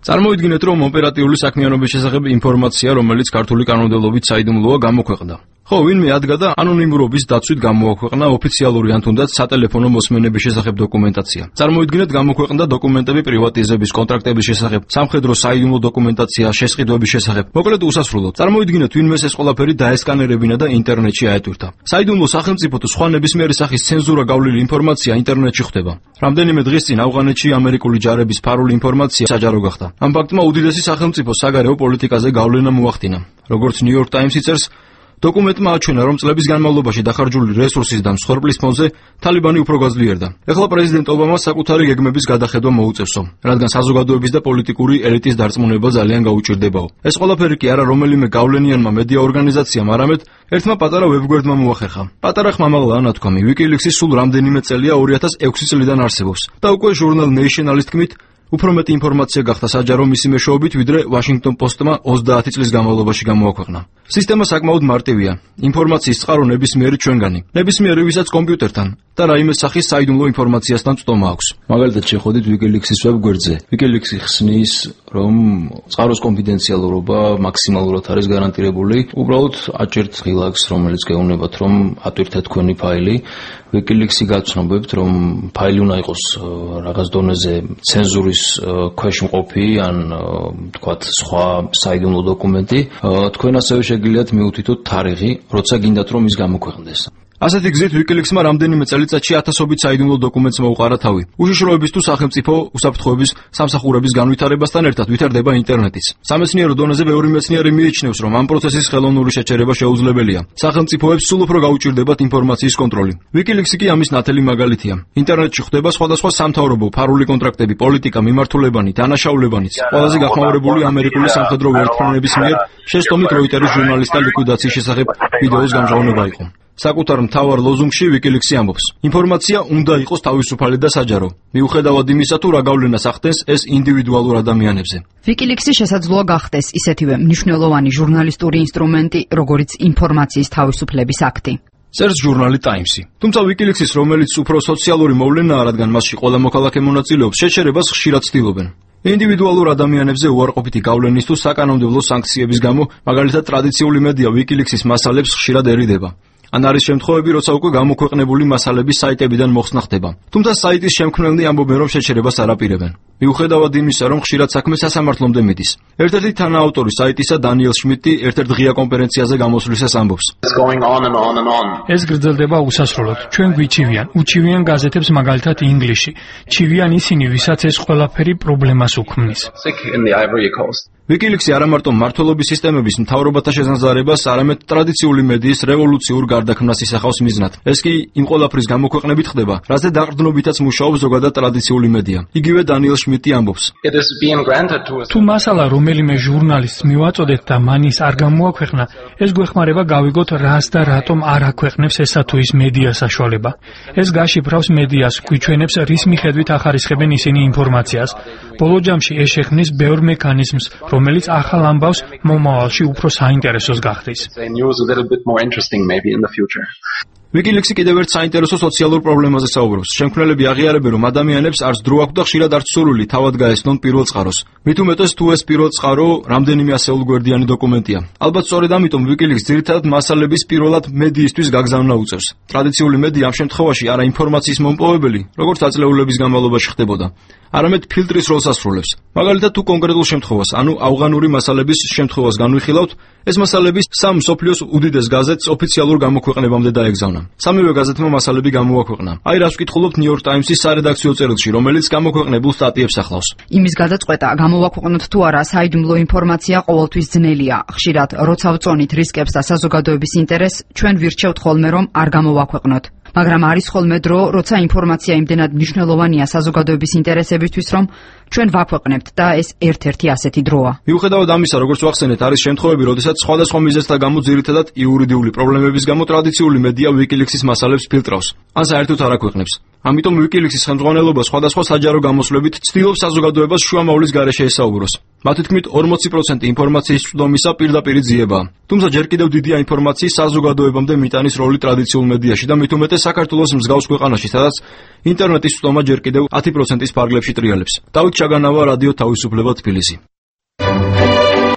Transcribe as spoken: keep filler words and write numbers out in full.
Წარმოიდგინეთ, რომ ოპერატიული საქმიანობის შესახებ ინფორმაცია, რომელიც ქართული კანონმდებლობით საიდუმლოა, გამოქვეყნდა. ხო, ვინმე ადგა და ანონიმურობის დაცვით გამოაქვეყნა ოფიციალური ან თუნდაც სატელეფონო მოსმენების შესახებ დოკუმენტაცია. წარმოიდგინეთ, გამოქვეყნდა დოკუმენტები პრივატიზების, კონტრაქტების შესახებ, სამხედრო საიდუმლო დოკუმენტაცია, შესყიდვების შესახებ. მოკლედ უსასრულოდ. წარმოიდგინეთ, ვინმეს ეს ყველაფერი დაესკანერებინა და ინტერნეტში აეტვირთა. საიდუმლო სახელმწიფო თუ სხვა ნებისმიერი სახის ცენზურა გავლილი ინფორმაცია ინტერნეტში ხდება. რამდენიმე დღის წინ ავღანეთში ამერიკული ჯარების ფარული ინფორმაცია საჯარო გახდა. ამ ფაქტმა უდიდესი სახელმწიფოს საგარეო პოლიტიკაზე გავლენა მოახდინა. როგორც New York Times წერს, დოკუმენტმა აჩვენა, რომ წლების განმავლობაში დახარჯული რესურსის და მსხვერპლის ფონზე თალიბანი უფრო გაძლიერდა. ეხლა პრეზიდენტ ობამა საკუთარი გეგმების გადახედვა მოუწევსო, რადგან საზოგადოების და პოლიტიკური ელიტის დარწმუნება ძალიან გაუჭირდებაო. ეს ყველაფერი კი არა რომელიმე გავლენიანმა მედია ორგანიზაციამ, არამედ ერთმა პატარა ვებგვერდმა მოახერხა. პატარა ხმამაღლაა ნათქვამი. WikiLeaks-ი სულ რამდენიმე წელია ორი ათას ექვსი წლიდან არსებობს და უკვე ჟურნალ Nation-ის თქმით, უფრო მეტი ინფორმაცია გახდა საჯარო მისი მეშვეობით, ვიდრე Washington Post-მა ოცდაათი წლის განმავლობაში გამოაქვეყნა. სისტემა საკმაოდ მარტივია. ინფორმაციის წყარო ნებისმიერი ჩვენგანი, ნებისმიერი ვისაც კომპიუტერთან და რაიმე სახის საიდუმლო ინფორმაციასთან წტომა აქვს. მაგალითად, შეხვედით WikiLeaks-ის ვებგვერდზე. WikiLeaks-ი ხსნის, რომ წყაროს კონფიდენციალურობა მაქსიმალურად არის გარანტირებული. უბრალოდ აჭერთ ღილაკს, რომელიც გეუბნებათ, რომ ატვირთეთ თქვენი ფაილი. WikiLeaks-ი გაცნობებთ, რომ ფაილი უნდა იყოს რაღაც დონეზე ცენზურის ქვეშ მყოფი ან თქვათ სხვა საიდუმლო დოკუმენტი. თქვენ ასევე შეგიძლიათ მიუთითოთ თარიღი, როცა გინდათ რომ ის გამოქვეყნდეს. ასეთი გზით WikiLeaks-მა რამდენიმე წელიწადში ათასობით საიდუმლო დოკუმენტს მოუყარა თავი. უშიშროების თუ სახელმწიფო უსაფრთხოების სამსახურების განვითარებასთან ერთად ვითარდება ინტერნეტიც. სამეცნიერო დონეზე ბევრი მეცნიერი მიიჩნევს, რომ ამ პროცესის ხელოვნური შეჩერება შეუძლებელია. სახელმწიფოებს სულ უფრო გაუჭირდებათ ინფორმაციის კონტროლი. WikiLeaks-ი კი ამის ნათელი მაგალითია. ინტერნეტში ხდება სხვადასხვა სამთავრობო, ფარული კონტრაქტები, პოლიტიკა, მიმართულებანი, დანაშაულებანიც. ყველაზე გახმაურებული ამერიკული სამხედრო ვერტმფრენების მიერ შეცდომით როიტერის ჟურნალისტთა ლიკვიდაციის შესახებ ვიდეოს გამჟღავნება იყო. საკუთარ მთავარ ლოზუნგში WikiLeaks-ი ამბობს: ინფორმაცია უნდა იყოს თავისუფალი და საჯარო. მიუხედავად იმისა, თუ რა გავლენას ახდენს ეს ინდივიდუალურ ადამიანებზე. WikiLeaks-ი შესაძლოა გახდეს ისეთივე მნიშვნელოვანი ჟურნალისტური ინსტრუმენტი, როგორც ინფორმაციის თავისუფლების აქტი. წერს ჟურნალი Times-ი. თუმცა WikiLeaks-ის, რომელიც უფრო სოციალური მოვლენაა, რადგან მასში ყველა მოქალაქე მონაწილეობს, შეჩერებას ხშირად ცდილობენ. ინდივიდუალურ ადამიანებზე უარყოფითი გავლენის თუ საკანონმდებლო სანქციების გამო, მაგალითად ტრადიციული მედია WikiLeaks-ის მასალებს ხშირად ერიდება. ან არის შემთხვევები, როცა უკვე გამოქვეყნებული მასალების საიტებიდან მოხსნა ხდება. თუმცა საიტის შემქმნელნი ამბობენ, რომ შეჩერებას არ აპირებენ. მიუხედავად იმისა, რომ ხშირად საქმე სასამართლომდე მიდის. ერთ-ერთი თანაავტორი საიტისა დანიელ შმიდტი ერთ-ერთ ღია კონფერენციაზე გამოსვლისას ამბობს: ეს გრძელდება უსასრულოდ. ჩვენ გვიჩივიან, უჩივიან გაზეთებს მაგალითად ინგლისში. ჩივიან ისინი, ვისაც ეს ყველაფერი პრობლემას უქმნის. WikiLeaks-ი არა მარტო მმართველობის სისტემების მთავრობათა შეზანზარებას, არამედ ტრადიციული მედიის რევოლუციურ გარდაქმნას ისახავს მიზნად. ეს კი იმ ყველაფრის გამოქვეყნებით ხდება, რაზე დაყრდნობითაც მუშაობს ზოგადად ტრადიციული მედია. იგივე დანიელ შმიდტი ამბობს: თუ მასალა რომელიმე ჟურნალისტს მივაწოდეთ და მანის არ გამოაქვეყნა, ეს გვეხმარება გავიგოთ რას და რატომ არ აქვეყნებს ესა თუ ის მედია საშუალება. ეს გაშიფრავს მედიას, გვიჩვენებს რის მიხედვით ახარისხებენ ისინი ინფორმაციას. ბოლო ჯამში ეს შექმნის ბევრ მექანიზმს, რომელიც ახალ ამბავს მომავალში უფრო საინტერესოს გახდის. WikiLeaks-ი კიდევ ერთ საინტერესო სოციალურ პრობლემაზე საუბრობს. შემქმნელები აღიარებენ, რომ ადამიანებს არც დრო აქვს და ხშირად არც სურვილი თავად გაესწრონ პირველ წყაროს. მით უმეტეს თუ ეს პირველ წყარო რამდენიმე ასეულგვერდიანი დოკუმენტია. ალბათ სწორედ ამიტომ WikiLeaks ძირითადად მასალების პირველად მედიისთვის გაგზავნა უწევს. ტრადიციული მედია ამ შემთხვევაში არა ინფორმაციის მომპოვებელი, როგორც აწლეულების განმავლობაში ხდებოდა, არამედ ფილტრის როლს ასრულებს. მაგალითად, თუ კონკრეტულ შემთხვევას, ანუ ავღანური მასალების შემთხვევას განვიხილავთ, ეს მასალები სამ მსოფლიოს უდიდეს გაზეთს ოფიციალურ გამოქვეყნებამდე დაეგზავნა. სამივე გაზეთმა მასალები გამოაქვეყნა. აი რას ვკითხულობთ New York Times-ის სარედაქციო წერილში, რომელიც გამოქვეყნებულ სტატიებს ახლავს. იმის გადაწყვეტა, გამოვაქვეყნოთ თუ არა საიდუმლო ინფორმაცია ყოველთვის ძნელია. ხშირად, როცა ვწონით რისკებს და საზოგადოების ინტერესს, ჩვენ ვირჩევთ ხოლმე, რომ არ გამოვაქვეყნოთ. მაგრამ არის ხოლმე დრო, როცა ინფორმაცია იმდენად მნიშვნელოვანია საზოგადოების ინტერესებისთვის, რომ ჩვენ ვაქვეყნებთ და ეს ერთ-ერთი ასეთი დროა. მიუხედავად ამისა, როგორც ვახსენეთ, არის შემთხვევები, როდესაც სხვადასხვა მიზეზთა გამო ძირითადად იურიდიული პრობლემების გამო ტრადიციული მედია WikiLeaks-ის მასალებს ფილტრავს, ან საერთოდ არ აქვეყნებს. ამიტომ WikiLeaks-ის ხელმძღვანელობა სხვადასხვა საჯარო გამოსვლებით ცდილობს საზოგადოებას შუამავლის გარეშე ესაუბროს. მათი თქმით, ორმოცი პროცენტი ინფორმაციის წვდომისა პირდაპირ ძიებაა. თუმცა ჯერ კიდევ დიდია ინფორმაციის საზოგადოებამდე მიტანის როლი ტრადიციულ მედიაში და მით უმეტეს საქართველოს მსგავს ქვეყანაში, სადაც ინტერნეტის წვდომა ჯერ კიდევ ათი პროცენტის ფარგლებში ტრიალებს. დავით ჩაგანავა, რადიო თავისუფლება, თბილისი.